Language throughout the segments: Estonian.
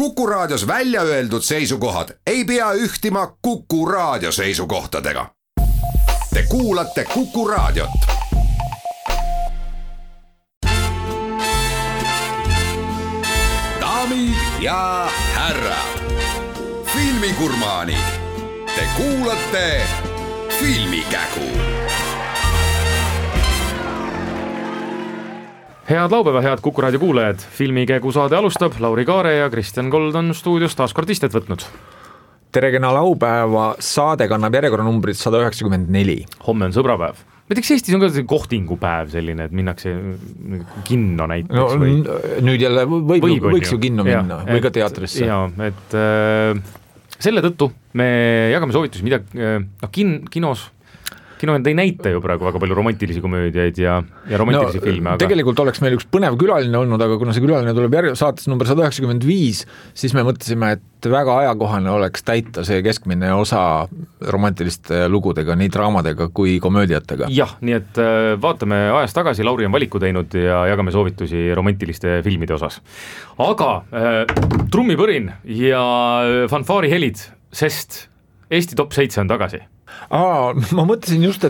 Kuku Raadios välja öeldud seisukohad ei pea ühtima Kuku Raadio seisukohtadega. Te kuulate Kuku Raadiot. Daamid ja härrad, filmigurmaanid, te kuulate Filmikägu. Head laupäeva, head Kuku Raadio kuulajad. Filmikägu saade alustab. Lauri Kaare ja Kristjan Kold on stuudios taas kord istet võtnud. Tere kena laupäeva, saade kannab järjekorranumbrit 194. Homme on sõbrapäev. Näiteks Eestis on ka kohtingupäev selline, et minnakse kinno näiteks. No, või... Nüüd jälle võiks ju kinno minna või ka teatrisse. Jaa, et selle tõttu me jagame soovitusi, mida kinos ei näita ju praegu väga palju romantilisi komöödiaid ja romantilisi filme. Aga... Tegelikult oleks meil üks põnev külaline olnud, aga kuna see külaline tuleb saates number 195, siis me mõtlesime, et väga ajakohane oleks täita see keskmine osa romantiliste lugudega, nii draamadega kui komöödiatega. Jah, nii et vaatame ajas tagasi, Lauri on valiku teinud ja jagame soovitusi romantiliste filmide osas. Aga trummipõrin ja fanfaari helid, sest Eesti top 7 on tagasi. Ma mõtlesin just,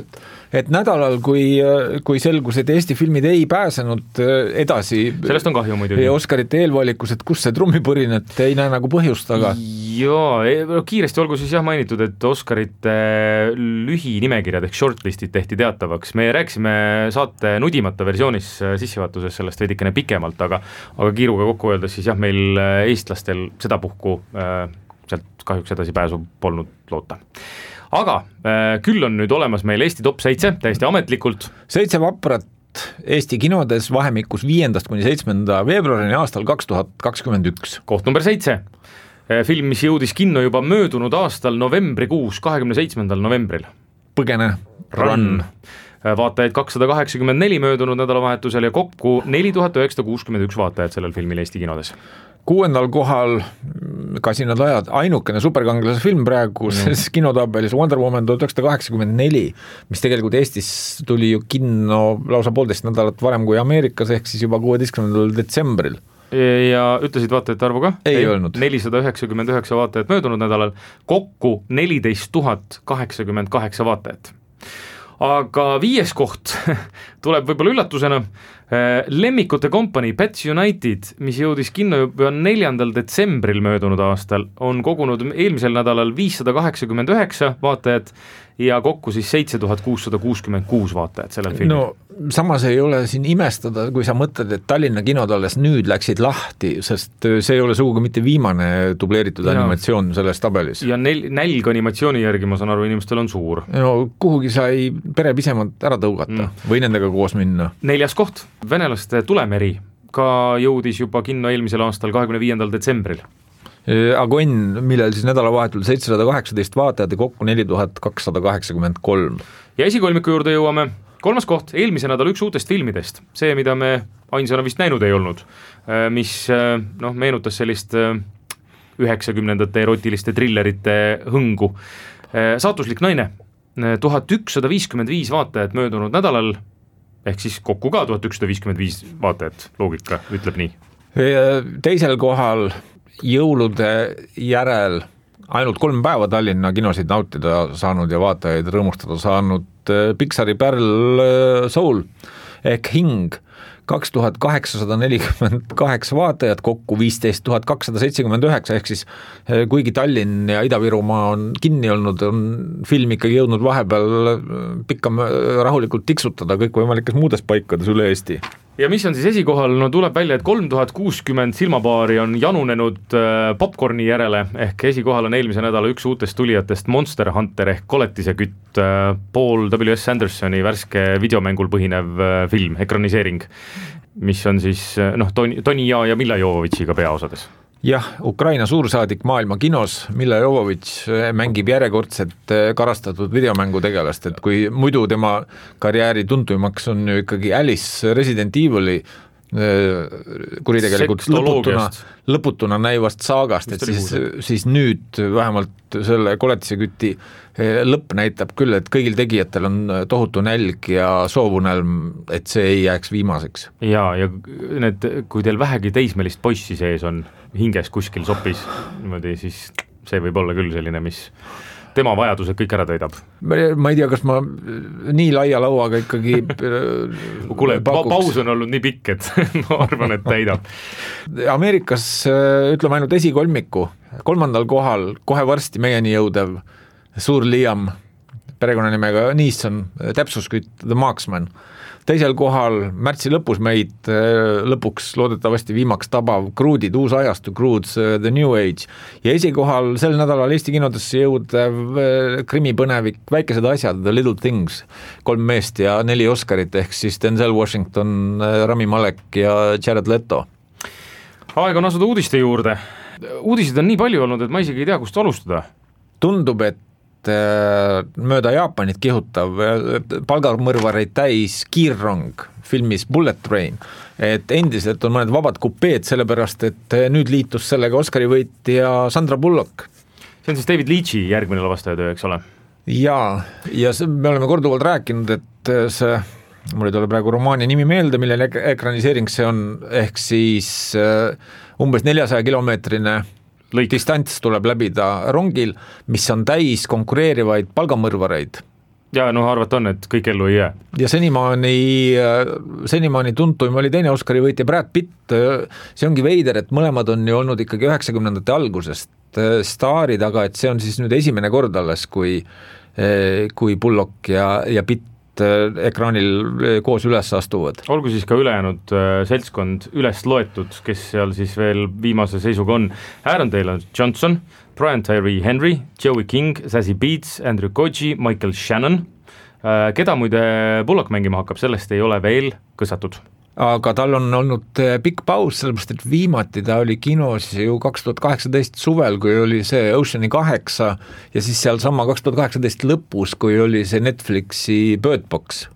et nädalal, kui selgus, et Eesti filmid ei pääsenud edasi sellest on kahju muidugi. Oscarite eelvalikus, et kus see trummipõrin, et ei näe nagu põhjust, aga Jaa, kiiresti olgu siis mainitud, et Oscarite lühinimekirjad ehk shortlistid tehti teatavaks. Me rääkisime saate nudimata versioonis sissevaatuses sellest veidikene pikemalt, aga kiiruga kokku öeldes siis meil eestlastel seda puhku sealt kahjuks edasi pääsu polnud loota. Aga küll on nüüd olemas meil Eesti top 7 täiesti ametlikult. 7 vaprat Eesti kinodes vahemikus 5. kuni 7. veebruarini aastal 2021. Koht number 7. Film, mis jõudis kinno juba möödunud aastal novembrikuus, 27. novembril. Põgene Run. Vaatajaid 284 möödunud nädalavahetusel ja kokku 4961 vaatajad sellel filmil Eesti kinodes. 6. kohal Kasinad ajad, ainukene superkangelase film praegu kinotabelis Wonder Woman 1984, mis tegelikult Eestis tuli ju kinno lausa 1,5 nädalat varem kui Ameerikas, ehk siis juba 16. detsembril. Ja ütlesid vaatajate arvu ka? Ei öelnud. 499 vaatajat möödunud nädalal, kokku 14 088 vaatajat. Aga 5. koht tuleb võib-olla üllatusena. Lemmikute kompanii Pets United, mis jõudis kinno juba 4. detsembril möödunud aastal, on kogunud eelmisel nädalal 589 vaatajat ja kokku siis 7666 vaatajat sellel filmil. No samas ei ole siin imestada, kui sa mõtled, et Tallinna kinod alles nüüd läksid lahti, sest see ei ole sugugi mitte viimane dubleeritud animatsioon selles tabelis. Ja nälg animatsiooni järgi, ma saan aru, inimestel on suur. No kuhugi sai pere pisemalt ära tõugata või nendega koos minna. 4. koht, venelaste Tulemeri, ka jõudis juba kinno eelmisel aastal 25. detsembril. Agonn, millel siis nädalavahetul 718 vaatajad ja kokku 4283. Ja esikolmiku juurde jõuame. 3. koht, eelmise nädal üks uutest filmidest. See, mida me ainsana vist näinud ei olnud, mis meenutas sellist 90ndate erotiliste trillerite hõngu. Saatuslik naine, 1155 vaatajat möödunud nädalal, ehk siis kokku ka 1155 vaatajat, loogika ütleb nii. Teisel kohal jõulude järel ainult 3 päeva Tallinna kinosid nautida saanud ja vaatajaid rõõmustada saanud Pixari Pearl Soul ehk Hing, 2848 vaatajat, kokku 15 279, ehk siis kuigi Tallinn ja Ida-Virumaa on kinni olnud, on film ikkagi jõudnud vahepeal pikka rahulikult tiksutada kõikvõimalikes muudes paikades üle Eesti. Ja mis on siis esikohal? No tuleb välja, et 3060 silmapaari on janunenud popcorni järele, ehk esikohal on eelmise nädala üks uutest tulijatest Monster Hunter ehk Koletisekütt, Paul W.S. Andersoni värske videomängul põhinev film, ekraniseering, mis on siis Toni ja Milla Jovovitšiga peaosades. Jah, Ukraina suursaadik maailma kinos, Milla Jovovitš mängib järjekordset karastatud videomängu tegelast, et kui muidu tema karjääri tuntumaks on ju ikkagi Alice Resident Evil'i kuritegelikult lõputuna näivast saagast, et siis nüüd vähemalt selle koletiseküti lõpp näitab küll, et kõigil tegijatel on tohutu nälg ja soovunelm, et see ei jääks viimaseks. Ja need, kui teil vähegi teismelist poissi sees on hinges kuskil sopis, niimoodi, siis see võib olla küll selline, mis tema vajadused kõik ära täidab. Ma ei tea, kas ma nii laia lauaga ikkagi kuule, paus on olnud nii pikk, et ma arvan, et täidab. Ameerikas ütleme ainult esikolmiku, 3. kohal kohe varsti meieni jõudev suur Liam, perekonnanimega Neeson, täpsuskütt The Marksman. 2. kohal märtsi lõpus meid lõpuks loodetavasti viimaks tabav Crude'id, uus ajastu, Crude's The New Age ja esikohal sel nädalal Eesti kinodesse jõudev krimipõnevik Väikesed asjad, The Little Things, 3 meest ja 4 Oscarit ehk siis Denzel Washington, Rami Malek ja Jared Leto. Aeg on asuda uudiste juurde. Uudised on nii palju olnud, et ma isegi ei tea, kust alustada. Tundub, et mööda Jaapanit kihutav palgamõrvareid täis kiirrong filmis Bullet Train, et endiselt on mõned vabad kupeed, sellepärast et nüüd liitus sellega Oscari võitja Sandra Bullock. See on siis David Leitchi järgmine lavastajatöö, eks ole? Ja me oleme korduvalt rääkinud, et see, mul ei tule praegu romaani nimi meelde, millele ekraniseering see on, ehk siis umbes 400 kilomeetrine distants tuleb läbida rongil, mis on täis konkureerivaid palgamõrvareid. Ja arvat on, et kõik ellu ei jää. Ja senimaani tuntuim oli teine Oscari võitja Brad Pitt. See ongi veider, et mõlemad on ju olnud ikkagi 90ndate algusest staarid, aga et see on siis nüüd esimene kord alles, kui Bullock ja Pitt ekraanil koos üles astuvad. Olgu siis ka ülejäänud seltskond üles loetud, kes seal siis veel viimase seisuga on. Aaron Taylor Johnson, Brian Tyree Henry, Joey King, Zazie Beetz, Andrew Koji, Michael Shannon. Keda muide Bullock mängima hakkab, sellest ei ole veel kõsatud. Aga tal on olnud pikk paus, sellepärast et viimati ta oli kinos ju 2018 suvel, kui oli see Oceani 8 ja siis seal sama 2018 lõpus, kui oli see Netflixi Bird Box.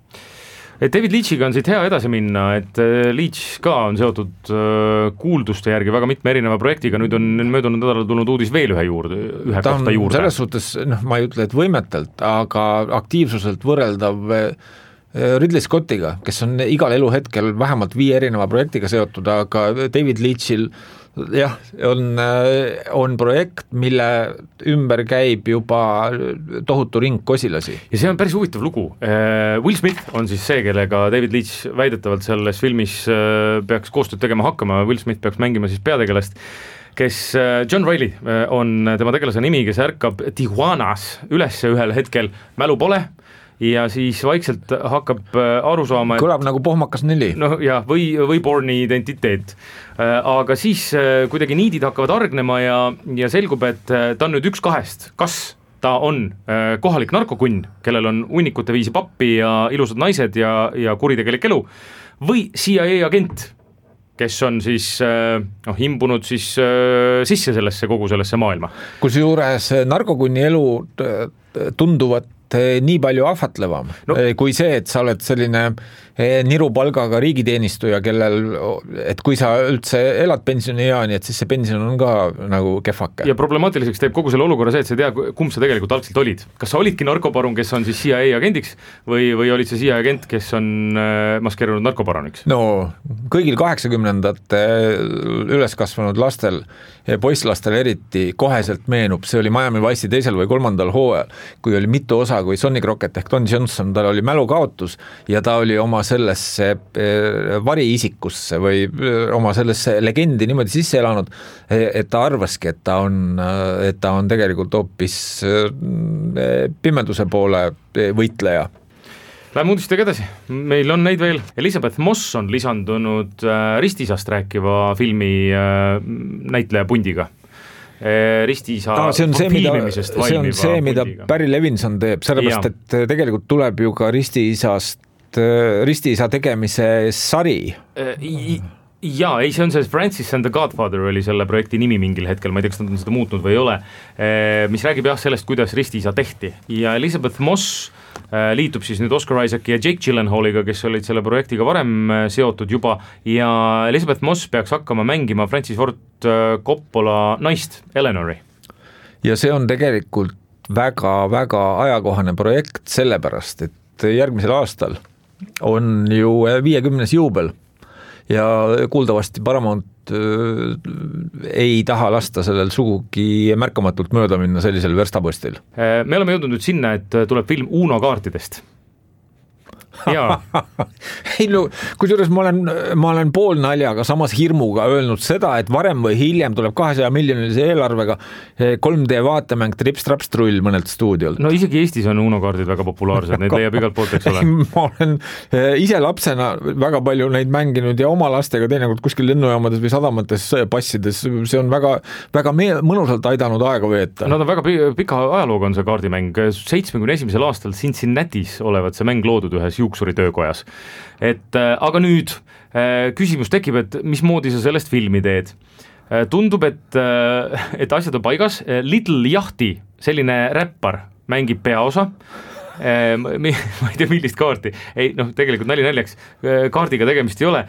David Leitchiga on siit hea edasi minna, et Leitch ka on seotud kuulduste järgi väga mitme erineva projektiga, nüüd on möödunud nädalal tulnud uudis veel ühe kohta juurde. Selles suhtes, ma ei ütle, et võimetelt, aga aktiivsuselt võrreldav Ridley Scottiga, kes on igal eluhetkel vähemalt 5 erineva projektiga seotud, aga David Leitchil jah, on projekt, mille ümber käib juba tohutu ring kosilasi. Ja see on päris huvitav lugu. Will Smith on siis see, kellega David Leitch väidetavalt selles filmis peaks koostööd tegema hakkama. Will Smith peaks mängima siis peategelast, kes John Reilly on tema tegelase nimi, kes ärkab Tijuanas üles ühel hetkel, mälu pole, ja siis vaikselt hakkab aru saama, kõlab nagu Pohmakas 4. No ja, või Borni identiteet. Aga siis kuidagi niidid hakkavad argnema ja selgub, et ta on nüüd üks kahest. Kas ta on kohalik narkokunn, kellel on hunnikute viisi pappi ja ilusad naised ja kuritegelik elu, või CIA agent, kes on siis imbunud siis sisse kogu sellesse maailma. Kusjuures narkokunni elu tunduvat nii palju ahvatlevam, kui see, et sa oled selline nirupalgaga riigiteenistuja, kellel, et kui sa üldse elad pensionieani, et siis see pension on ka nagu kehvake. Ja problemaatiliseks teeb kogu selle olukorra see, et sa ei tea, kumb sa tegelikult algselt olid. Kas sa olidki narkoparun, kes on siis CIA agendiks või olid see CIA agent, kes on maskeerunud narkoparuniks? No kõigil 80ndate üles kasvanud lastel, poisslastel eriti koheselt meenub, see oli Miami Vice'i 2. või 3. hooajal, kui oli mitu osa, kui Sonny Crockett ehk Don Johnson, tal oli mälukaotus ja ta oli oma sellesse variisikusse või oma sellesse legendi niimoodi sisse elanud, et ta arvaski, et ta on tegelikult hoopis pimeduse poole võitleja. Läheme uudistega edasi, meil on neid veel. Elizabeth Moss on lisandunud Ristisast rääkiva filmi näitleja pundiga. Ristiisa filmimisest valmiva pundiga. See on see, mida Barry Levinson teeb, sellepärast, et tegelikult tuleb ju ka Ristiisa tegemise sari. Jaa, ei, see on see Francis and the Godfather oli selle projekti nimi mingil hetkel, ma ei tea, kas nad on seda muutnud või ei ole, mis räägib jah sellest, kuidas ristiisa tehti ja Elizabeth Moss liitub siis nüüd Oscar Isaaci ja Jake Gyllenhaaliga, kes olid selle projektiga varem seotud juba ja Elizabeth Moss peaks hakkama mängima Francis Ford Coppola naist, Eleanori. Ja see on tegelikult väga-väga ajakohane projekt sellepärast, et järgmisel aastal on ju 50. juubel ja kuuldavasti Paramount ei taha lasta sellel sugugi märkamatult mööda minna sellisel verstapostil. Me oleme jõudnud nüüd sinna, et tuleb film Uno kaartidest. Ei, no, kusjuures ma olen pool naljaga samas hirmuga öelnud seda, et varem või hiljem tuleb 200 miljonilise eelarvega 3D vaatemäng Trips-Traps-Trull mõnelt stuudiolt. No isegi Eestis on Uno kaardid väga populaarsed, neid leiab igalt poolt, eks ole. Ma olen ise lapsena väga palju neid mänginud ja oma lastega teinekord kuskil lennujaamades või sadamates passides, see on väga, väga mõnusalt aidanud aega veeta. Nad on väga pika ajalooga on see kaardimäng, 71. aastal Cincinnatis olevat see mäng loodud ühes juuksuri töökojas. Aga nüüd küsimus tekib, et mismoodi sa sellest filmi teed. Tundub, et asjad on paigas. Little Yachty, selline räppar, mängib peaosa. Ma ei tea, millist kaarti. Ei, tegelikult naljaks. Kaardiga tegemist ei ole.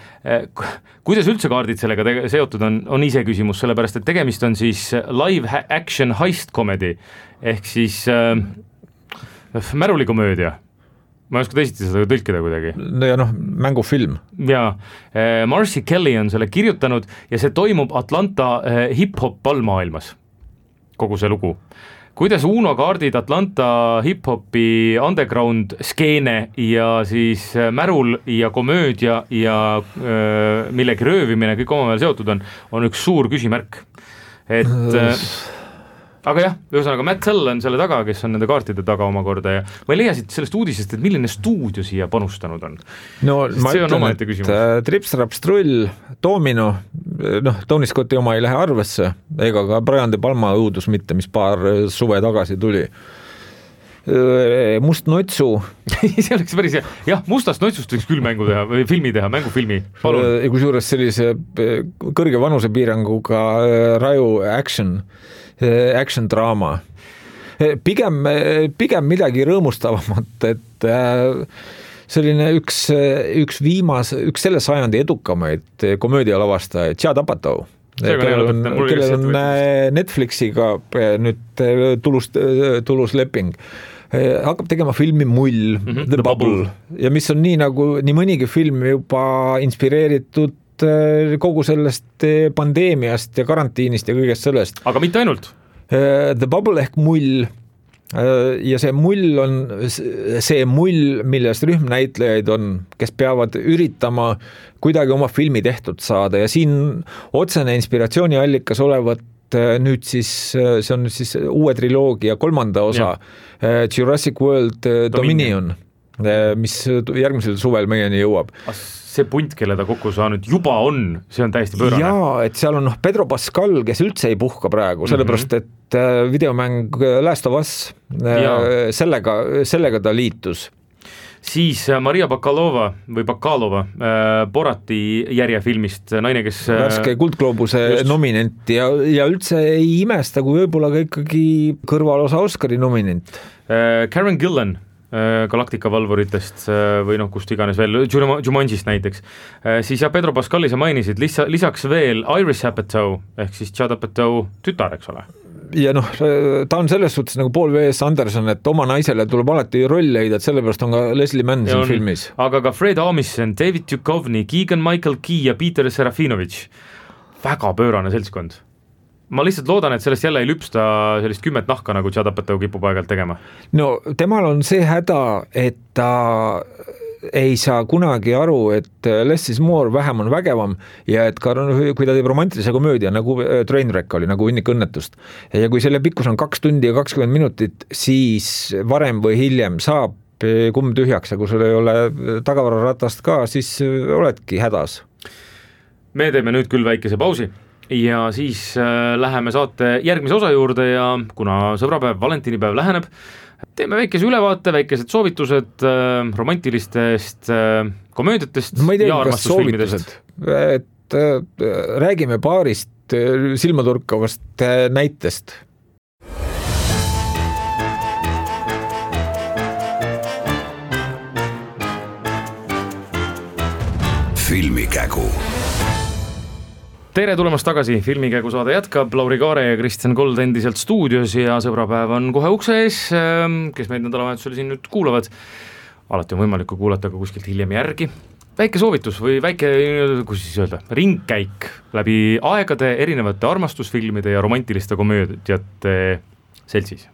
Kuidas üldse kaardid sellega seotud on ise küsimus, sellepärast, et tegemist on siis live action heist comedy ehk siis märulikomöödia. Ma ei oska teisiti seda tõlkida kuidagi. Ja mängufilm. Ja Marcy Kelly on selle kirjutanud ja see toimub Atlanta hip-hop ballmaailmas. Kogu see lugu. Kuidas Uno kaardid Atlanta hip-hopi underground skeene ja siis märul ja komöödia ja millegi röövimine kõik omavahel seotud on üks suur küsimärk. Aga jah, ühesõnaga Matt Tell on selle taga, kes on nende kaartide taga omakorda ja ma ei leia siit sellest uudisest, et milline stuudio siia panustanud on. No ma ütlen, et Trips-Traps-Trull, Domino, Tony Scotti oma ei lähe arvesse, ega ka Brian De Palma õudus mitte, mis paar suve tagasi tuli. Must notsu. See oleks päris hea. Jah, Mustast notsust võiks küll mängu teha, või filmi teha, mängufilmi. Palun. Kusjuures sellise kõrge vanusepiiranguga raju action draama. Pigem midagi rõõmustavamat, et selline üks selle sajandi edukamaid komöödialavastajaid, Judd Apatow, kellel on Netflixiga nüüd tulus leping. Hakkab tegema filmi Mull, The Bubble, ja mis on nii mõnigi film juba inspireeritud kogu sellest pandeemiast ja karantiinist ja kõigest sellest. Aga mitte ainult. The Bubble ehk Mull ja see Mull on see Mull, milles rühmnäitlejaid on, kes peavad üritama kuidagi oma filmi tehtud saada ja siin otsene inspiratsiooniallikas olevat nüüd siis, see on nüüd siis uue triloogia 3. osa Jurassic World Dominion, mis järgmisel suvel meieni jõuab. See punt, kelle ta kokku saanud juba on, see on täiesti pöörane. Jaa, et seal on Pedro Pascal, kes üldse ei puhka praegu, sellepärast, et videomäng Last of Us, sellega ta liitus. Siis Maria Bakalova Borati järjefilmist, naine, kes värske Kuldgloobuse nominent ja üldse ei imesta, kui võib-olla ka ikkagi kõrvalosa Oscari nominent. Karen Gillan Galactica valvuritest või kust iganes veel, Jumanjist näiteks. Siis Pedro Pascali sa mainisid, lisaks veel Iris Apatow, ehk siis Judd Apatow tütar, eks ole? Ja ta on selles suhtes nagu Paul W.S. Anderson, et oma naisele tuleb alati roll leida, et sellepärast on ka Leslie Mann siin filmis. Aga ka Fred Armisen, David Duchovny, Keegan Michael Key ja Peter Serafinovich. Väga pöörane seltskond. Ma lihtsalt loodan, et sellest jälle ei lüpsta sellist 10 nahka, nagu Judd Apatow kipub aegalt tegema. No temal on see häda, et ta ei saa kunagi aru, et less is more, vähem on vägevam ja et ka kui ta teeb romantilise komöödia, nagu Trainwreck oli, nagu Hunnik õnnetust ja kui selle pikkus on 2 tundi ja 20 minutit, siis varem või hiljem saab kumm tühjaks ja kui sul ei ole tagavararatast ka, siis oledki hädas. Me teeme nüüd küll väikese pausi ja siis läheme saate järgmise osa juurde ja kuna sõbrapäev, valentinipäev läheneb, teeme väikese ülevaate, väikesed soovitused romantilistest komöödiatest ma ei tea, ja armastusfilmidest. räägime paarist silmaturkavast näitest. Filmikägu. Tere tulemast tagasi, Filmikägu saade jätkab, Lauri Kaare ja Kristjan Kold endiselt stuudios ja sõbrapäev on kohe ukse ees, kes meid nädalavahetusel siin nüüd kuulavad. Alati on võimalik kuulata ka kuskilt hiljem järgi. Väike soovitus või väike, kus siis öelda, ringkäik läbi aegade erinevate armastusfilmide ja romantiliste komöödiate seltsis.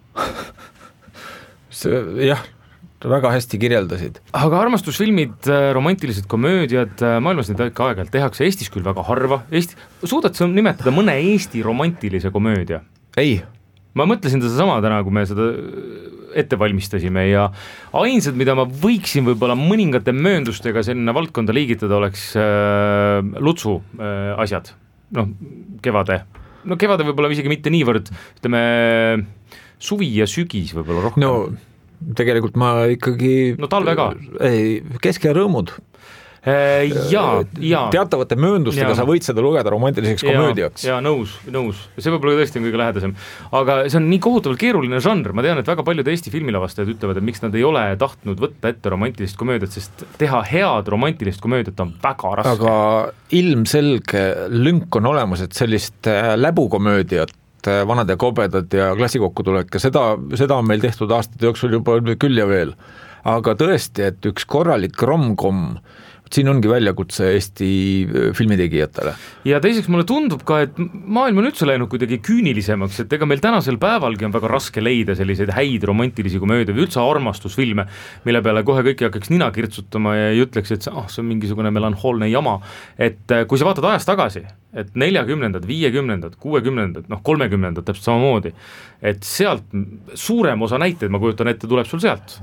Jah, väga hästi kirjeldasid. Aga armastusfilmid, romantilised komöödiad, maailmas neid ikka aeg-ajalt tehakse, Eestis küll väga harva. Suudad sa nimetada mõne Eesti romantilise komöödia? Ei. Ma mõtlesin seda sama täna, kui me seda ette valmistasime ja ainsad, mida ma võiksin võib-olla mõningate mööndustega selline valdkonda liigitada, oleks Lutsu asjad. Kevade. Kevade võib-olla isegi mitte niivõrd, ütleme, suvi ja sügis võib-olla rohkem. Tegelikult ma ikkagi talve ka. Kesk- ja rõõmud. Ja. Teatavate mööndustega sa võid seda lugeda romantiliseks komöödiaks. Ja nõus. See võib-olla tõesti on kõige lähedasem. Aga see on nii kohutavalt keeruline žanr. Ma tean, et väga paljud Eesti filmilavastajad ütlevad, et miks nad ei ole tahtnud võtta ette romantilist komöödiat, sest teha head romantilist komöödiat on väga raske. Aga ilmselge lünk on olemas, et sellist läbukomöödiat, vanad ja kobedad ja klassikokkutulek ja seda on meil tehtud aastate jooksul juba küll ja veel. Aga tõesti, et üks korralik romkom, siin ongi väljakutse Eesti filmitegijatele. Ja teiseks mulle tundub ka, et maailm on üldse läinud kuidagi küünilisemaks, et ega meil tänasel päevalgi on väga raske leida selliseid häid romantilisi komöödia või üldse armastusfilme, mille peale kohe kõik hakkaks nina kirtsutama ja ei ütleks, et see on mingisugune melanhoolne jama. Et kui sa vaatad ajast tagasi, et 40-ndad, 50-ndad, 60-ndad, 30-ndad täpselt samamoodi, et sealt suurem osa näiteid, ma kujutan ette, tuleb sul sealt.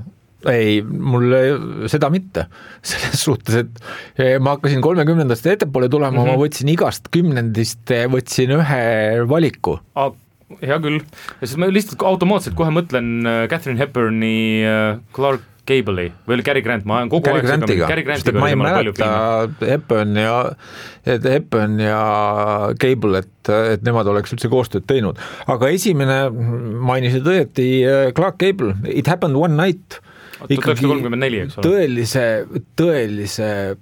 Ei, mulle seda mitte. Selles suhtes, et ma hakkasin 30-ndast ettepoole tulema, ma võtsin igast 10-ndist, võtsin ühe valiku. Hea küll. Ja siis ma lihtsalt automaatselt kohe mõtlen Catherine Hepburni, Clark Gable'i või Cary Grant, ma olen kogu aeg ma ei mäleta Hepburn ja Gable, et nemad oleks üldse koostööd teinud. Aga esimene mainisid õieti Clark Gable, It Happened One Night. 1934, eks ole. Tõelise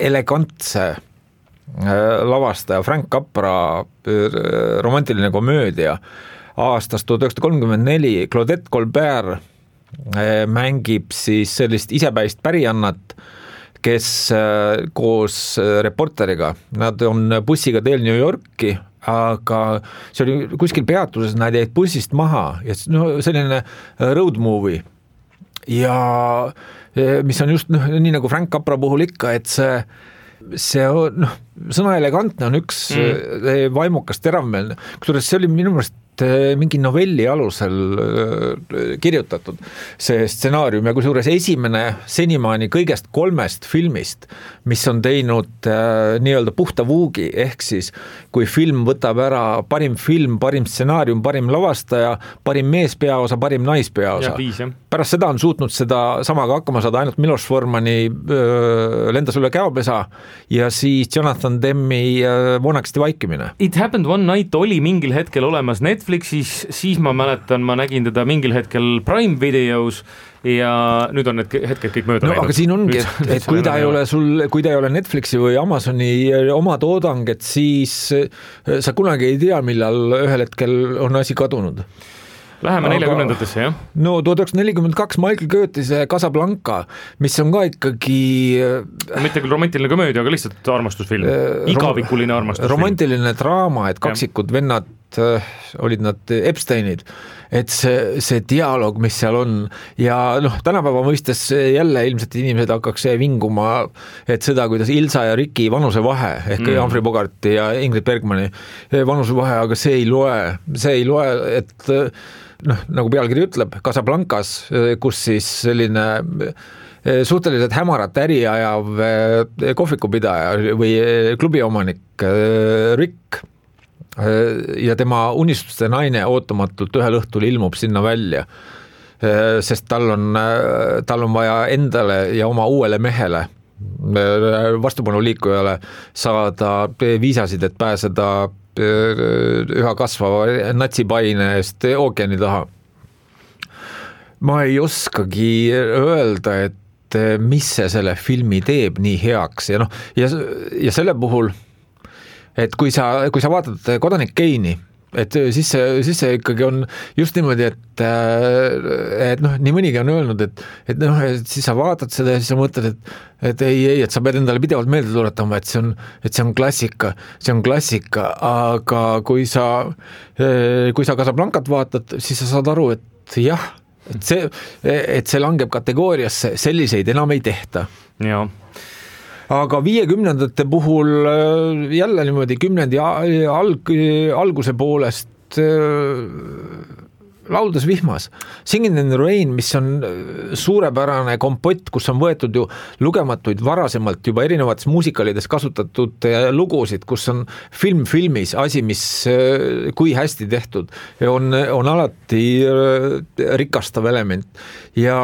elegantse lavastaja Frank Capra romantiline komöödia aastast 1934. Claudette Colbert mängib siis sellist isepäist pärijannat, kes koos reporteriga, nad on bussiga teel New Yorki, aga see oli kuskil peatuses, nad jäid bussist maha ja selline road movie. Ja mis on just nii nagu Frank Capra puhul ikka, et see on, sõna elegantne on üks vaimukas teravmeelne, kusjuures see oli minu meelest mingi novelli alusel kirjutatud see stsenaarium ja kusjuures esimene senimaani kõigest 3 filmist, mis on teinud nii-öelda puhta vuugi, ehk siis kui film võtab ära parim film, parim stsenaarium, parim lavastaja, parim meespeaosa, parim naispeaosa. Pärast seda on suutnud seda samaga hakkama saada ainult Miloš Formani Lendas üle käopesa ja siis Jonathan Demmi Voonakesti vaikimine. It Happened One Night oli mingil hetkel olemas Netflixis, siis ma mäletan, ma nägin teda mingil hetkel Prime Videos ja nüüd on need hetked kõik mööda läinud. Aga siin ongi, et kui ta ei ole Netflixi või Amazoni oma toodang, et siis sa kunagi ei tea, millal ühel hetkel on asi kadunud. Läheme 40-ndatesse, jah? 1942 Michael Curtise Casablanca, mis on ka ikkagi mitte küll romantiline komöödia, aga lihtsalt armastusfilm. Igavikuline armastusfilm. Romantiline draama, et kaksikud vennad olid nad Epsteinid, et see dialoog, mis seal on ja tänapäeva mõistes jälle ilmselt inimesed hakkaks vinguma, et seda, kuidas Ilsa ja Riki vanusevahe ehk Humphrey Bogarti ja Ingrid Bergmani vanusevahe, aga see ei loe, et nagu pealkiri ütleb, Casablancas, kus siis selline suhteliselt hämarat äri ajav kohvikupidaja või klubiomanik Rick ja tema unistuste naine ootamatult ühel õhtul ilmub sinna välja, sest tal on vaja endale ja oma uuele mehele vastupanuliikujale saada viisasid, et pääseda üha kasvava natsipaine eest ookeani taha. Ma ei oskagi öelda, et mis see selle filmi teeb nii heaks ja selle puhul, et kui sa vaatad Kodanik Keini, et siis see ikkagi on just niimoodi, et nii mõnigi on öelnud, et siis sa vaatad seda ja siis sa mõtled, et ei, sa pead endale pidevalt meelde tuletama, et see on klassika, aga kui sa Casablancat vaatad, siis sa saad aru, et jah, et see langeb kategooriasse, selliseid enam ei tehta. Jaa. Aga 50ndate puhul jälle niimoodi 10. alguse poolest Lauldes vihmas. Singing in the Rain, mis on suurepärane kompott, kus on võetud ju lugematuid varasemalt juba erinevates muusikalides kasutatud lugusid, kus on filmis asi, mis kui hästi tehtud, on alati rikastav element. Ja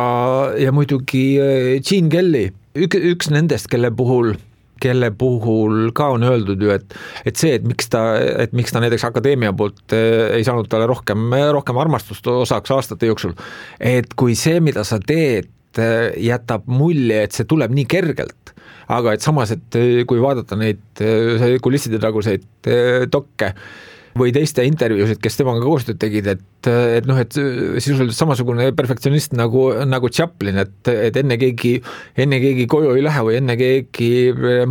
muidugi Gene Kelly, üks nendest, kelle puhul ka on öeldud ju, et see, et miks ta näiteks akadeemia poolt ei saanud talle rohkem armastust osaks aastate jooksul, et kui see, mida sa teed, jätab mulje, et see tuleb nii kergelt, aga et samas, et kui vaadata neid kulisside taguseid dokke või teiste intervjuusid, kes temaga koostööd tegid, et sisuliselt samasugune perfektsionist nagu Chaplin, et enne keegi koju ei lähe või enne keegi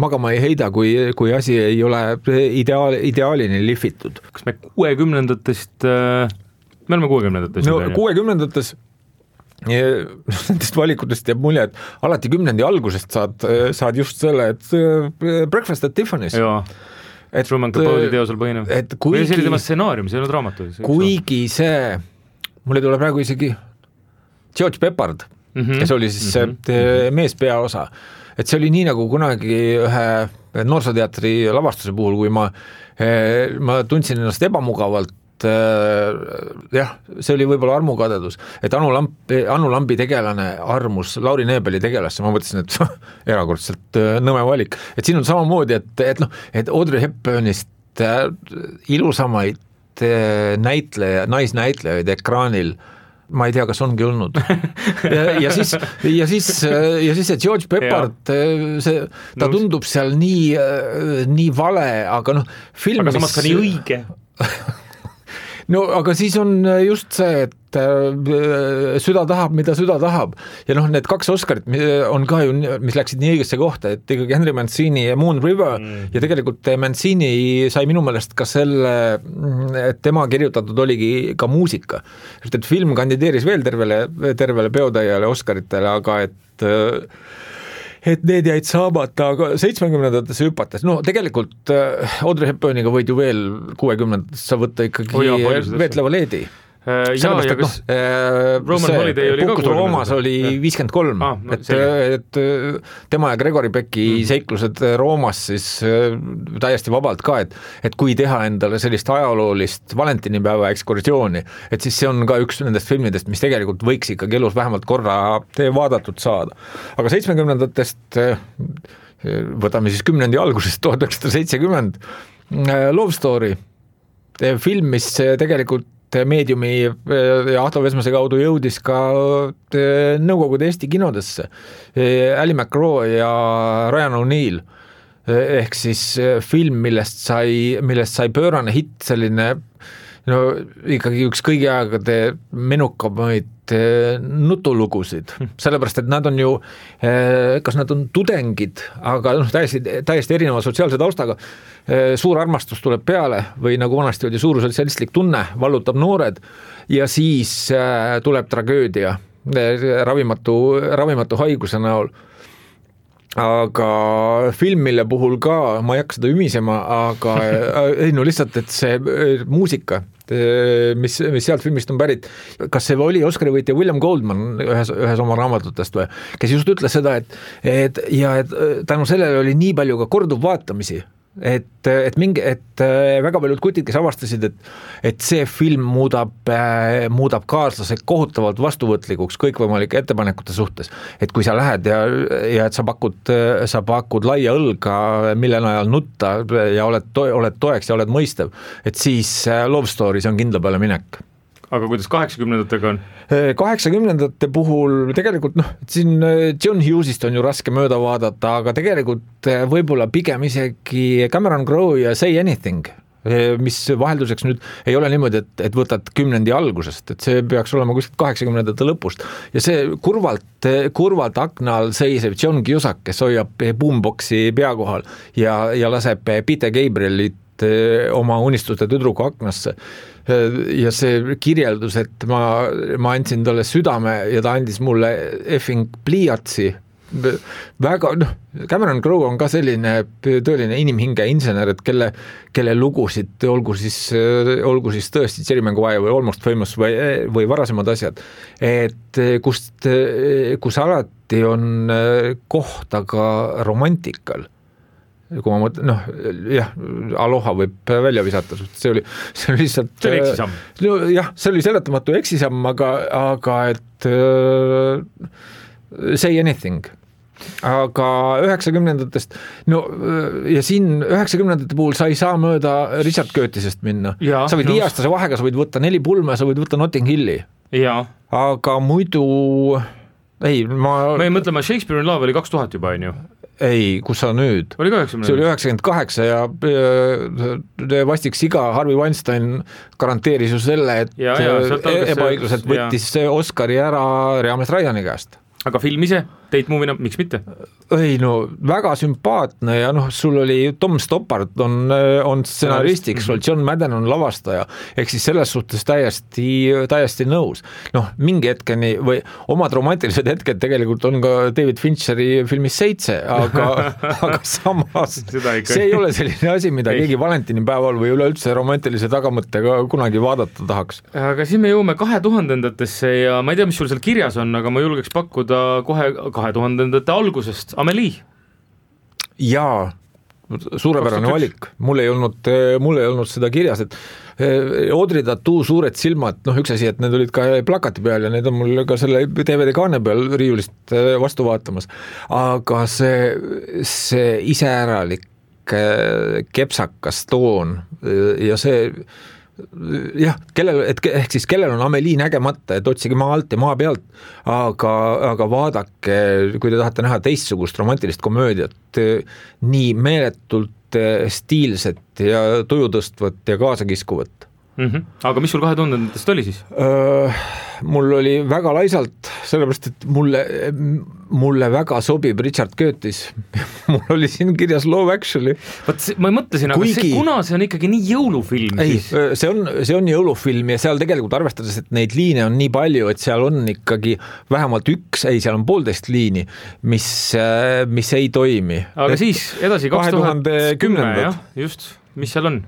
magama ei heida, kui asi ei ole ideaalini lihvitud. Kas me 60-ndatest, me oleme 60-ndatest? No 60-ndates nendest valikutest jääb mulje, et alati 10. algusest saad just selle, et Breakfast at Tiffany's. Jaa. Truman Capote teosel põhinev. Või see oli tema stsenaarium, see ei olnud raamatu. Kuigi see, mulle tuleb praegu isegi George Peppard, kes oli siis see meespeaosa. Et see oli nii nagu kunagi ühe noorsooteatri lavastuse puhul, kui ma tundsin ennast ebamugavalt, jah, see oli võib-olla armukadedus, et Anu Lambi tegelane armus Lauri Neebeli tegelasse, ma mõtlesin, et erakordselt nõme valik, et siin on samamoodi, et Audrey Hepburnist ilusamaid naisnäitlejaid ekraanil ma ei tea, kas ongi olnud. ja siis see George Peppard, ta tundub seal nii vale, aga film, aga samas ka nii õige. No aga siis on just see, et süda tahab, mida süda tahab. Ja need 2 Oscarit on ka ju, mis läksid nii õigesse kohta, et ikkagi Henry Mancini ja Moon River ja tegelikult Mancini sai minu meelest ka selle, et tema kirjutatud oligi ka muusika. Et film kandideeris veel tervele peotäiele Oscaritele, aga et need jäid saamata, aga 70-ndatesse hüpates, tegelikult Audrey Hepburniga võid ju veel 60-ndatesse sa võtta ikkagi Veetleva leedi. Sellepärast, Roman Holiday oli Puhkus Roomas oli 53, et tema ja Gregory Becki seiklused Roomas siis täiesti vabalt ka, et kui teha endale sellist ajaloolist valentinipäeva ekskursiooni, et siis see on ka üks nendest filmidest, mis tegelikult võiks ikkagi elus vähemalt korra vaadatud saada. Aga 70-ndatest võtame siis 10. algusest 1970 Love Story, film, mis tegelikult meediumi ja Ahto Vesmase kaudu jõudis ka Nõukogude Eesti kinodesse. Ali McGraw ja Ryan O'Neill ehk siis film, millest sai pöörane hitt, selline ikkagi üks kõigi aegade menukamaid nutulugusid, sellepärast, et nad on ju, kas nad on tudengid, aga täiesti erineva sotsiaalse taustaga, suur armastus tuleb peale või nagu vanasti oli suur sotsialistlik tunne, vallutab noored ja siis tuleb tragöödia ravimatu haiguse näol. Aga film, mille puhul ka, ma ei hakka seda ümisema, aga lihtsalt, et see muusika, mis sealt filmist on pärit, kas see oli Oscari võitja William Goldman ühes oma raamatutest või, kes just ütles seda, et tänu sellele oli nii palju ka korduvvaatamisi, et väga paljud kutid, kes avastasid, et see film muudab kaaslase kohutavalt vastuvõtlikuks kõikvõimalike ettepanekute suhtes, et kui sa lähed ja et sa pakud laia õlga, mille najal nutta ja oled toeks ja oled mõistev, et siis Love Stories on kindla peale minek. Aga kuidas 80-ndatega on? 80-ndate puhul tegelikult siin John Hughesist on ju raske mööda vaadata, aga tegelikult võib-olla pigem isegi Cameron Crowe ja Say Anything, mis vahelduseks nüüd ei ole niimoodi, et võtad 10. algusest, et see peaks olema kuskilt 80-ndate lõpust ja see kurvalt akna all seisev John Cusack, kes hoiab boomboxi pea kohal ja laseb Peter Gabrielit oma unistuste tüdruku aknasse ja see kirjeldus, et ma andsin talle südame ja ta andis mulle effing pliiatsi, väga, Cameron Crowe on ka selline tõeline inimhinge insener, et kelle lugusid, olgu siis tõesti Jerry Maguire või Almost Famous või varasemad asjad, et kus alati on kohta ka romantikal. Kui ma mõtlen, Aloha võib välja visata, see oli lihtsalt... See oli eksisamm. Jah, see oli seletamatu eksisamm, aga et Say Anything. Aga 90-ndatest, ja siin 90-ndate puhul sa ei saa mööda Richard Curtisest minna. Sa võid 5-aastase vahega, sa võid võtta 4 pulme, sa võid võtta Notting Hilli. Aga muidu... Ma ei mõtle, Shakespeare in Love oli 2000 juba, on ju? Ei, kus sa nüüd? Oli ka 90. See oli 98 ja vastik siga Harvey Weinstein garanteeris ju selle, et ebaõigluselt võttis Oscari ära Reames Ryani käest. Aga film ise, Tate Movie'na, miks mitte? Ei, väga sümpaatne ja sul oli Tom Stoppard on stsenaristiks, John Madden on lavastaja, ehk siis selles suhtes täiesti nõus. Mingi hetkeni või omad romantilised hetked tegelikult on ka David Fincheri filmis 7, aga samas see ei ole selline asi, mida keegi valentinipäeval või üleüldse romantilise tagamõttega kunagi vaadata tahaks. Aga siin me jõuame 2000-ndatesse ja ma ei tea, mis sul seal kirjas on, aga ma julgeks pakkuda kohe 2000-ndate algusest Amelie. Jaa, suurepärane valik. Mul ei olnud seda kirjas, et Audrey Tautou suured silmad, üks asi, et need olid ka plakati peal ja need on mul ka selle DVD-kaane peal riiulist vastu vaatamas, aga see iseäralik kepsakas toon ja see kellel on Amelie nägemata, et otsige maa alt ja maa pealt, aga vaadake, kui te tahate näha teistsugust romantilist komöödiat, nii meeletult stiilset ja tujutõstvat ja kaasakiskuvat. Aga mis sul 2000-ndatest oli siis? Mul oli väga laisalt, sellepärast, et mulle väga sobib Richard Curtis. Mul oli siin kirjas Love Actually. Ma mõtlesin, aga kuna see on ikkagi nii jõulufilm? Ei, see on jõulufilm ja seal tegelikult arvestades, et neid liine on nii palju, et seal on ikkagi vähemalt seal on 1,5 liini, mis ei toimi. Aga siis edasi 2010, just, mis seal on?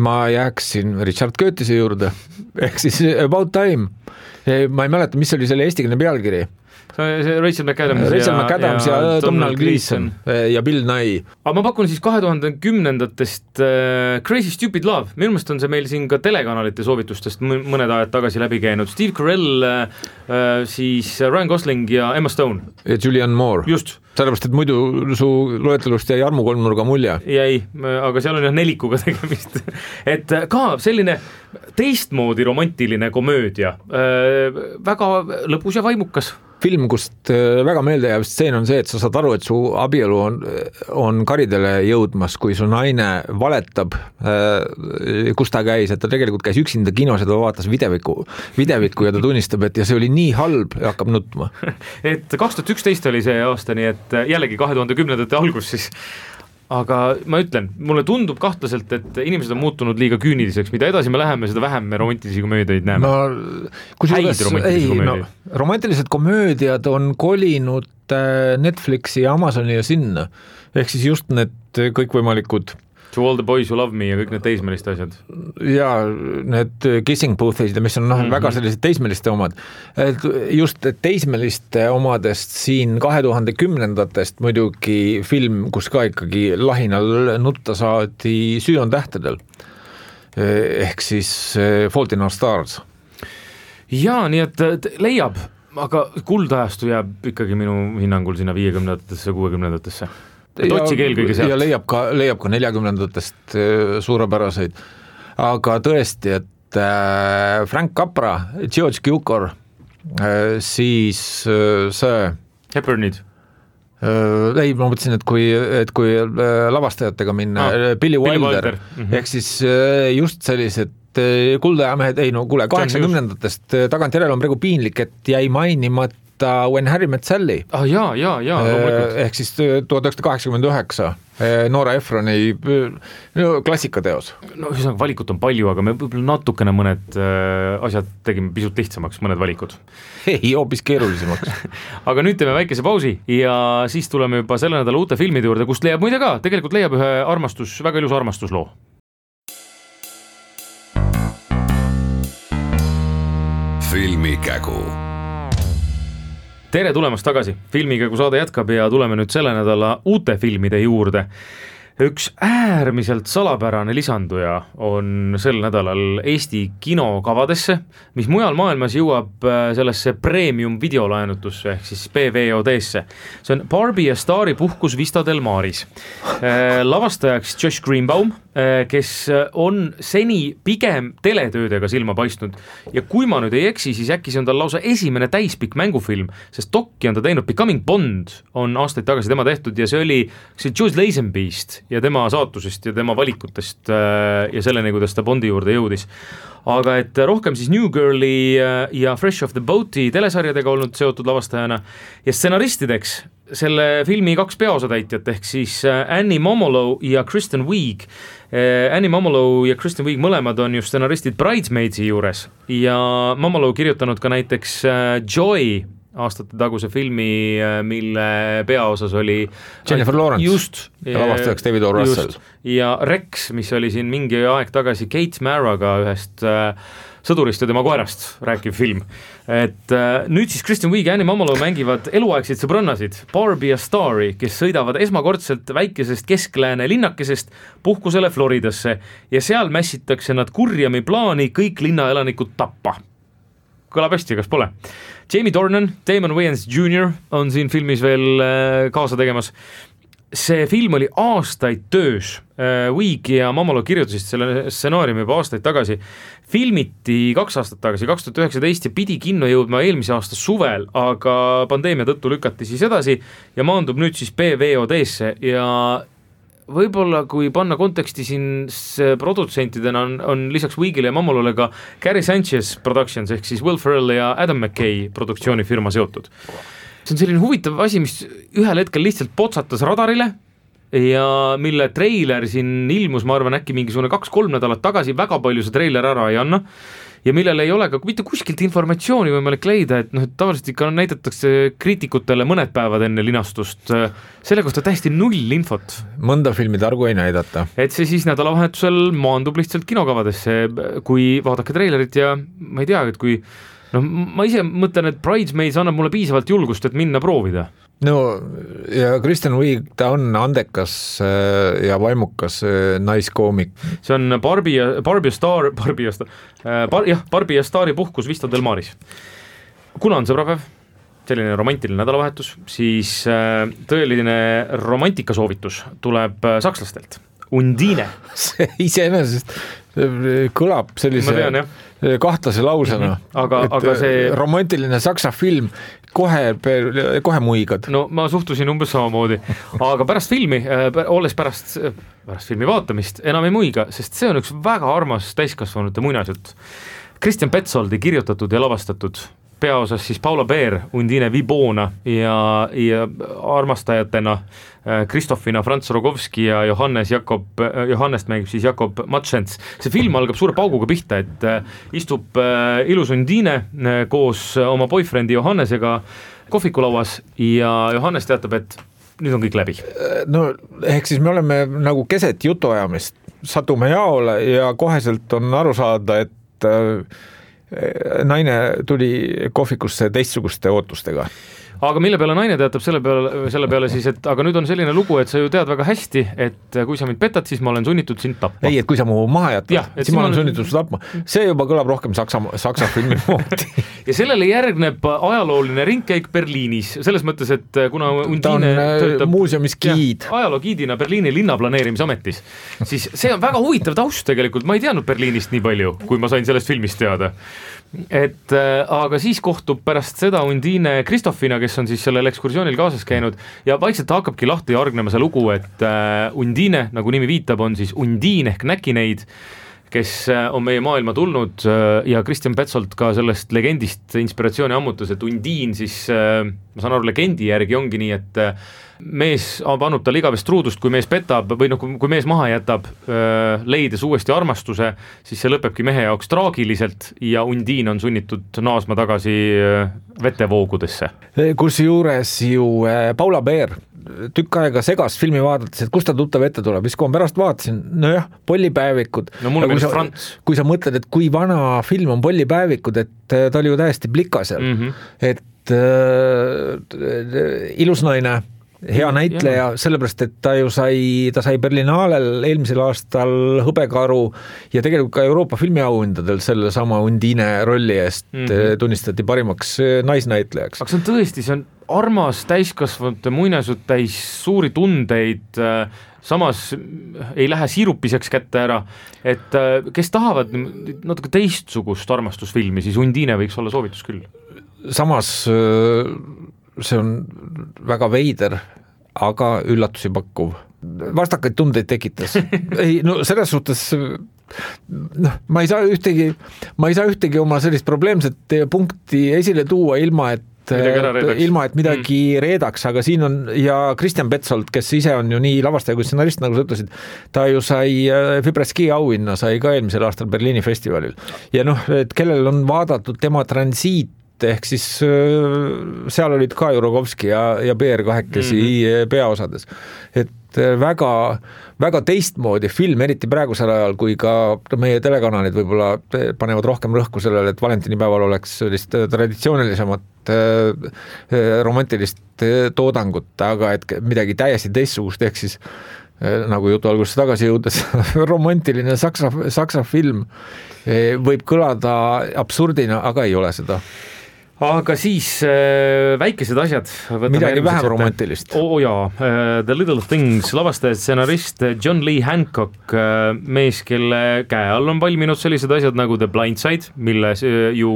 Ma jääksin Richard Curtise juurde, ehk siis About Time. Ma ei mäleta, mis oli selle eestikeelne pealkiri. Rachel McAdams ja Domhnall Gleeson ja Bill Nye. Aga ma pakun siis 2010-ndatest Crazy Stupid Love. Minu meelest on see meil siin ka telekanalite soovitustest mõned ajad tagasi läbi käinud. Steve Carell, siis Ryan Gosling ja Emma Stone. Ja Julianne Moore. Just. Sellepärast, et muidu su loetelust jäi Armu kolmnurga mulje. Jäi, aga seal on nelikuga tegemist. Et ka selline teistmoodi romantiline komöödia. Väga lõbus ja vaimukas. Film, kust väga meelde jääb stseen on see, et sa saad aru, et su abielu on karidele jõudmas, kui su naine valetab, kus ta käis, et ta tegelikult käis üksinda kinos ja ta vaatas videvikku ja ta tunnistab, et ja see oli nii halb ja hakkab nutma. Et 2011 oli see aasta, nii et jällegi 2010-ndate algus siis. Aga ma ütlen, mulle tundub kahtlaselt, et inimesed on muutunud liiga küüniliseks, mida edasi me läheme, seda vähem me romantilisi komöödiaid näeme. Romantilised komöödiad on kolinud Netflixi ja Amazoni ja sinna, ehk siis just need kõikvõimalikud To all the boys who love me ja kõik need teismeliste asjad. Ja need kissing booth'id, mis on väga sellised teismeliste omad. Et just teismeliste omadest siin 2010-ndatest muidugi film, kus ka ikkagi lahinal nutta saadi Süü on tähtedel. Ehk siis Fault in Our Stars. Jaa, nii et leiab, aga kuldajastu jääb ikkagi minu hinnangul sinna 50-ndatesse, 60-ndatesse. Otsige eelkõige sealt. Ja leiab ka 40-ndatest suurepäraseid. Aga tõesti, et Frank Capra, George Cukor, siis see Hepburnid. Ei, ma mõtlesin, et kui lavastajatega minna, Billy Wilder. Ehk siis just sellised kuldajamehed, ei no kuule, 80-ndatest tagantjärele on praegu piinlik, et jäi mainimata When Harry Met Sally. Jaa, ehk siis 1989 Nora Ephroni klassikateos. No ühesõnaga valikut on palju, aga me võib-olla natukene mõned asjad tegime pisut lihtsamaks, mõned valikud. Ei, hoopis keerulisemaks. Aga nüüd teeme väikese pausi ja siis tuleme juba selle nädala uute filmide juurde, kust leiab muide ka, tegelikult leiab ühe väga ilus armastusloo. Filmikägu. Tere tulemast tagasi, Filmikägu saade jätkab ja tuleme nüüd selle nädala uute filmide juurde. Üks äärmiselt salapärane lisanduja on sel nädalal Eesti kinokavadesse, mis mujal maailmas jõuab sellesse premium videolaenutusse ehk siis PVOD-sse. See on Barbie ja Stari puhkus Vista del Maris. Lavastajaks Josh Greenbaum, kes on seni pigem teletöödega silma paistnud ja kui ma nüüd ei eksi, siis äkki see on tal lausa esimene täispikk mängufilm, sest dokki on ta teinud, Becoming Bond on aastaid tagasi tema tehtud ja see oli Jules Lazenby'st ja tema saatusest ja tema valikutest ja selleni, kuidas ta Bondi juurde jõudis. Aga et rohkem siis New Girli ja Fresh Off the Boat'i telesarjadega olnud seotud lavastajana ja stsenaristideks selle filmi 2 peaosatäitjat ehk siis Annie Momolo ja Kristen Wiig. Annie Momolo ja Kristen Wiig mõlemad on ju stsenaristid Bridesmaidsi juures ja Momolo kirjutanud ka näiteks Joy aastate taguse filmi, mille peaosas oli Jennifer Lawrence just, ja lavastajaks David O. Russell. Ja Rex, mis oli siin mingi aeg tagasi Kate Maraga ühest sõdurist ja tema koerast rääkiv film. Et nüüd siis Kristen Wiig ja Annie Momolo mängivad eluaegseid sõbrannasid Barbie ja Stari, kes sõidavad esmakordselt väikesest kesklääne linnakesest puhkusele Floridasse ja seal mässitakse nad kurjami plaani kõik linnaelanikud tappa. Kõlab hästi, kas pole? Jamie Dornan, Damon Wayans Jr. on siin filmis veel kaasa tegemas. See film oli aastaid töös. Wiig ja Momolo kirjutasid selle stsenaariumi juba aastaid tagasi. Filmiti 2 aastat tagasi, 2019 ja pidi kinno jõudma eelmise aasta suvel, aga pandeemia tõttu lükati siis edasi ja maandub nüüd siis PVOD-sse ja võib-olla kui panna konteksti siin produtsentidena on lisaks Wiigile ja Momolole ka Gary Sanchez Productions ehk siis Will Ferrell ja Adam McKay produktsioonifirma seotud. See on selline huvitav asi, mis ühel hetkel lihtsalt potsatas radarile ja mille treiler siin ilmus, ma arvan, äkki mingisugune 2-3 nädalat tagasi, väga palju see treiler ära ei anna ja millel ei ole ka mitte kuskilt informatsiooni võimalik leida, et tavaliselt ikka näidatakse kriitikutele mõned päevad enne linastust, selle kohta täiesti null infot. Mõnda filmi targu ei näidata. Et see siis nädalavahetusel maandub lihtsalt kinokavadesse, kui vaadake treilerit ja ma ei tea, et kui ma ise mõtlen, et Bridesmaids annab mulle piisavalt julgust, et minna proovida. No ja Kristen Wiig, ta on andekas ja vaimukas naiskoomik. See on Barbie ja Stari puhkus Vista del Maris. Kuna on sõbrapäev, selline romantiline nädalavahetus, siis tõeline romantikasoovitus tuleb sakslastelt. Undine. See iseenesest kõlab sellise kahtlase lausena. Aga see romantiline saksa film kohe muigad. No ma suhtusin umbes samamoodi, aga pärast filmi, olles pärast filmi vaatamist enam ei muiga, sest see on üks väga armas täiskasvanute muinasjutt. Christian Petsoldi kirjutatud ja lavastatud, peaosas siis Paula Beer, Undine Vibona ja armastajatena Kristofina Franz Rogovski ja Johannest mängib siis Jakob Matšents. See film algab suure pauguga pihta, et istub ilus Undine koos oma boyfriendi Johannesega kohvikulauas ja Johannes teatab, et nüüd on kõik läbi. No ehk siis me oleme nagu keset jutuajamist, satume jaole ja koheselt on aru saada, et naine tuli kohvikusse teistsuguste ootustega. Aga mille peale naine teatab selle peale siis, et aga nüüd on selline lugu, et sa ju tead väga hästi, et kui sa mind petad, siis ma olen sunnitud sind tapma. Ei, et kui sa mu maha jätad, siis ma olen sunnitud sind tapma. See juba kõlab rohkem saksa filmi moodi. Ja sellele järgneb ajalooline ringkäik Berliinis, selles mõttes, et kuna Undine töötab muuseumis giid. Ajaloogiidina Berliini linnaplaneerimisametis, siis see on väga huvitav taust tegelikult, ma ei teadnud Berliinist nii palju, kui ma sain sellest filmist teada. Aga siis kohtub pärast seda Undine Kristoffina, kes on siis sellel ekskursioonil kaasas käinud ja vaikselt hakkabki lahti jargnema see lugu, et Undine, nagu nimi viitab, on siis Undine ehk näkineid, kes on meie maailma tulnud ja Christian Petzold ka sellest legendist inspiratsiooni ammutas, et Undine siis, ma saan aru, legendi järgi ongi nii, et mees annab tal igavest truudust, kui mees petab või kui mees maha jätab, leides uuesti armastuse, siis see lõpebki mehe jaoks traagiliselt ja Undine on sunnitud naasma tagasi vetevoogudesse. Kus juures ju Paula Beer tükk aega segas filmi vaadates, et kust ta tuttav ette tuleb, siis kui ma pärast vaatasin, nojah, Pollipäevikud. No mulle meeles Frants. Kui sa mõtled, et kui vana film on Pollipäevikud, et ta oli ju täiesti plika seal, et ilus naine, hea näitleja, sellepärast, et ta sai Berlinaalel eelmisel aastal hõbekaru ja tegelikult ka Euroopa filmiauhindadel selle sama Undine rolli eest tunnistati parimaks naisnäitlejaks. Aga see on tõesti, see on armas täiskasvanute muinasjutt täis suuri tundeid, samas ei lähe siirupiseks kätte ära, et kes tahavad natuke teistsugust armastusfilmi, siis Undine võiks olla soovitus küll. Samas see on väga veider, aga üllatusi pakkuv. Vastakaid tundeid tekitas. Ei, no selles suhtes ma ei saa ühtegi oma sellist probleemset punkti esile tuua ilma, et midagi reedaks, aga siin on ja Christian Petzold, kes ise on ju nii lavastaja kui stsenarist, nagu sa ütlesid, ta ju sai Fibreski auhinna, sai ka eelmisel aastal Berliini festivalil. Ja et kellel on vaadatud tema Transiit, ehk siis seal olid ka Jurogovski ja Beer kahekesi peaosades. Et väga, väga teistmoodi film, eriti praegusel ajal, kui ka meie telekanalid võib-olla panevad rohkem rõhku sellele, et valentinipäeval oleks sellist traditsioonilisemat romantilist toodangut, aga et midagi täiesti teistsugust, ehk siis nagu jutu alguses tagasi jõudes, romantiline saksa film võib kõlada absurdina, aga ei ole seda. Aga siis väikesed asjad. Midagi vähem romantilist. Jaa, The Little Things, lavastaja stsenarist John Lee Hancock, mees, kelle käe all on valminud sellised asjad nagu The Blind Side, mille ju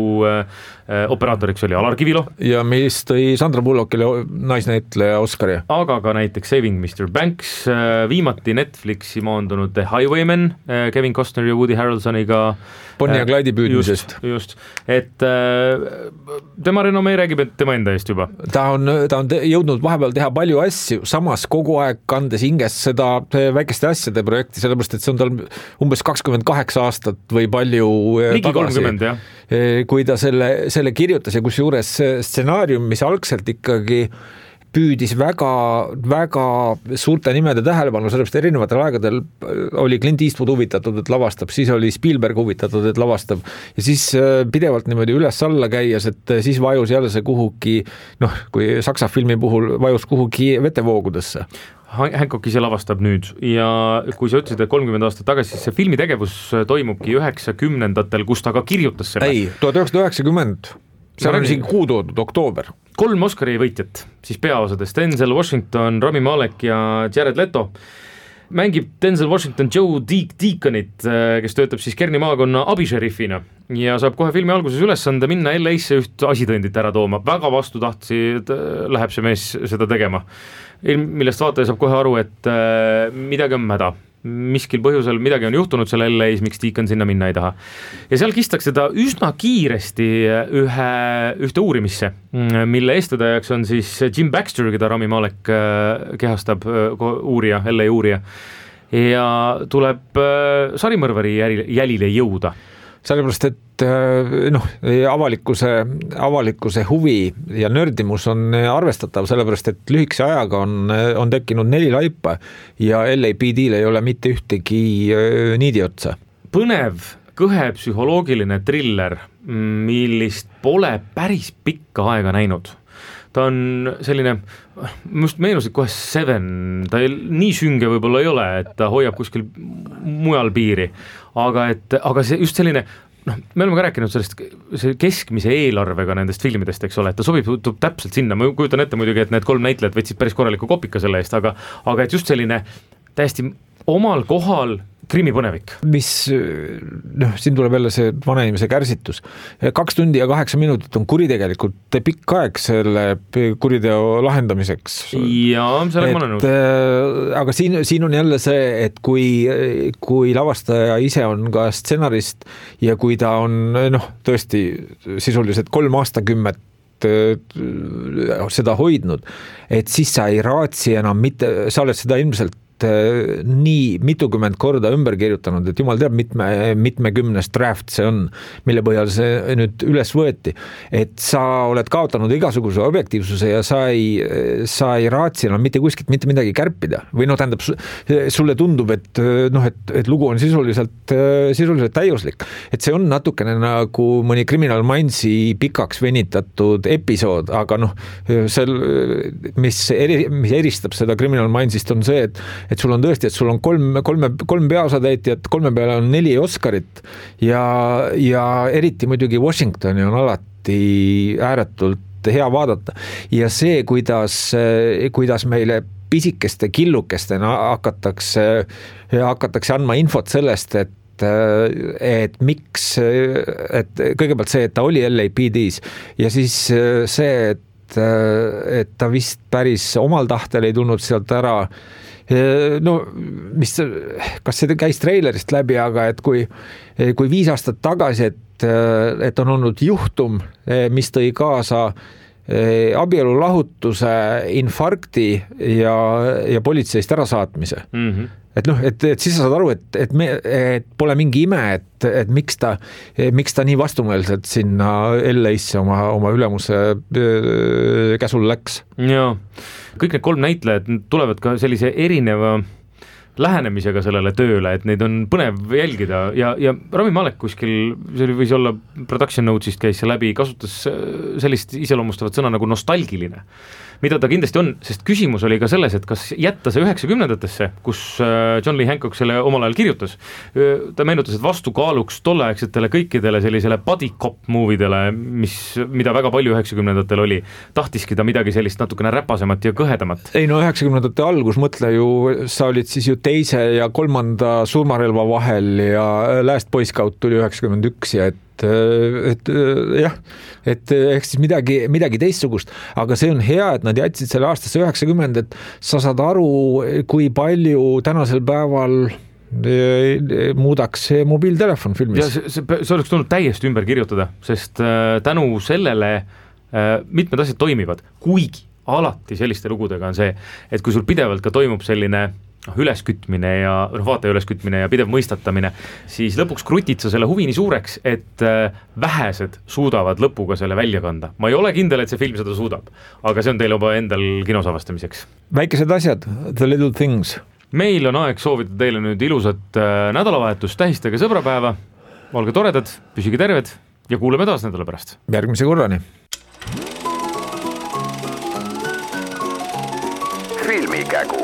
operaatoriks oli Alar Kivilo. Ja mis tõi Sandra Bullockile naisnäitleja Oscari. Aga ka näiteks Saving Mr. Banks, viimati Netflixi maandunud The Highwaymen, Kevin Costner ja Woody Harrelsoniga. Bonnie ja Clyde'i püüdmisest. Just, et tema renomee räägib, et tema enda eest juba. Ta on jõudnud vahepeal teha palju asju, samas kogu aeg kandes hinges seda väikeste asjade projekti, sellepärast, et see on tal umbes 28 aastat või palju ligi tagasi. 30, jah. Kui ta selle kirjutas ja kus juures stsenaarium, mis algselt ikkagi püüdis väga, väga suurte nimede tähelepanu, sellepärast erinevatel aegadel oli Clint Eastwood huvitatud, et lavastab, siis oli Spielberg huvitatud, et lavastab ja siis pidevalt niimoodi üles-alla käies, et siis vajus jälle see kuhugi, kui saksa filmi puhul vajus kuhugi vetevoogudesse. Hancock ise lavastab nüüd ja kui sa ütlesid, et 30 aastat tagasi, siis see filmitegevus toimubki 90-ndatel, kus ta ka kirjutas selle. Ei, 1990, seal on isegi kuu toodud, oktoober. 3 Oscari võitjat, siis peaosades Denzel Washington, Rami Malek ja Jared Leto. Mängib Denzel Washington Joe Deaconit, kes töötab siis Kerni maakonna abisheriffina ja saab kohe filmi alguses ülesande minna LA-sse üht asitõendit ära tooma. Väga vastutahtsi läheb see mees seda tegema, millest vaataja saab kohe aru, et midagi on mäda. Miskil põhjusel midagi on juhtunud selle LA-s, miks Deacon sinna minna ei taha. Ja seal kistakse ta üsna kiiresti ühte uurimisse, mille eestvedajaks on siis Jim Baxter, keda Rami Malek kehastab, uurija, LA uurija. Ja tuleb sarimõrvari jälile jõuda. sellepärast, et avalikkuse huvi ja nördimus on arvestatav, sellepärast, et lühikese ajaga on tekkinud 4 laipa ja LAPD-l ei ole mitte ühtegi niidi otsa. Põnev, kõhe psühholoogiline triller, millist pole päris pikka aega näinud. Ta on selline, just meenusid kohe Seven, ta nii sünge võib-olla ei ole, et ta hoiab kuskil mujal piiri, aga see just selline, me oleme ka rääkinud sellest keskmise eelarvega nendest filmidest, eks ole, et ta sobib täpselt sinna, ma kujutan ette muidugi, et need 3 näitlejad võtsid päris korraliku kopika selle eest, aga et just selline täiesti omal kohal krimipõnevik. Mis, siin tuleb jälle see vanainimese kärsitus. 2 tundi ja 8 minutit on kuritegelikult pikk aeg selle kuriteo lahendamiseks. Jaa, sellega ma olen nõus. Aga siin on jälle see, et kui lavastaja ise on ka stsenarist ja kui ta on tõesti sisuliselt 3 aastakümmet seda hoidnud, et siis sa ei raatsi enam mitte, sa oled seda ilmselt nii mitukümmend korda ümber kirjutanud, et jumal teab mitmekümnes draft see on, mille põhjal see nüüd üles võeti, et sa oled kaotanud igasuguse objektiivsuse ja sa ei raatsi enam mitte kuskilt mitte midagi kärpida või tähendab, sulle tundub, et lugu on sisuliselt täiuslik, et see on natukene nagu mõni Criminal Mindsi pikaks venitatud episood, aga mis eristab seda Criminal Mindsist on see, et sul on tõesti, et sul on kolm peaosatäitjat, 3 peale on 4 Oscarit ja eriti muidugi Washingtoni on alati ääretult hea vaadata ja see, kuidas meile pisikeste killukestena hakatakse andma infot sellest, et miks, et kõigepealt see, et ta oli LAPD-s ja siis see, et ta vist päris omal tahtel ei tulnud sealt ära. Kas see käis treilerist läbi, aga et kui 5 aastat tagasi, et on olnud juhtum, mis tõi kaasa abielulahutuse, infarkti ja politseist ärasaatmise. Et siis sa saad aru, et pole mingi ime, et miks ta nii vastumeelselt sinna LA-sse oma ülemuse käsul läks. Jaa, kõik need 3 näitlejad tulevad ka sellise erineva lähenemisega sellele tööle, et neid on põnev jälgida ja Rami Malek kuskil, see võis olla production notes'ist käis see läbi, kasutas sellist iseloomustavat sõna nagu nostalgiline, mida ta kindlasti on, sest küsimus oli ka selles, et kas jätta see 90-ndatesse, kus John Lee Hancock selle omal ajal kirjutas. Ta meenutas, et vastukaaluks tolleaegsetele kõikidele sellisele buddy cop movidele, mida väga palju 90-ndatel oli, tahtiski ta midagi sellist natukene räpasemat ja kõhedamat. Ei 90-ndate algus, mõtle ju, sa olid siis ju 2. ja 3. surmarelva vahel ja Last Boy Scout tuli 91 ja ehk siis midagi teistsugust, aga see on hea, et nad jätsid selle aastasse 90, et sa saad aru, kui palju tänasel päeval muudaks see mobiiltelefon filmis. Ja see oleks tulnud täiesti ümber kirjutada, sest tänu sellele mitmed asjad toimivad, kuigi alati selliste lugudega on see, et kui sul pidevalt ka toimub selline üleskütmine ja vaataja üleskütmine ja pidev mõistatamine, siis lõpuks krutid sa selle huvi nii suureks, et vähesed suudavad lõpuga selle välja kanda. Ma ei ole kindel, et see film seda suudab, aga see on teil juba endal kinos avastamiseks. Väikesed asjad, the little things. Meil on aeg soovida teile nüüd ilusat nädalavahetust, tähistage sõbrapäeva, olge toredad, püsige terved ja kuuleme taas nädala pärast. Järgmise korrani. Filmikägu.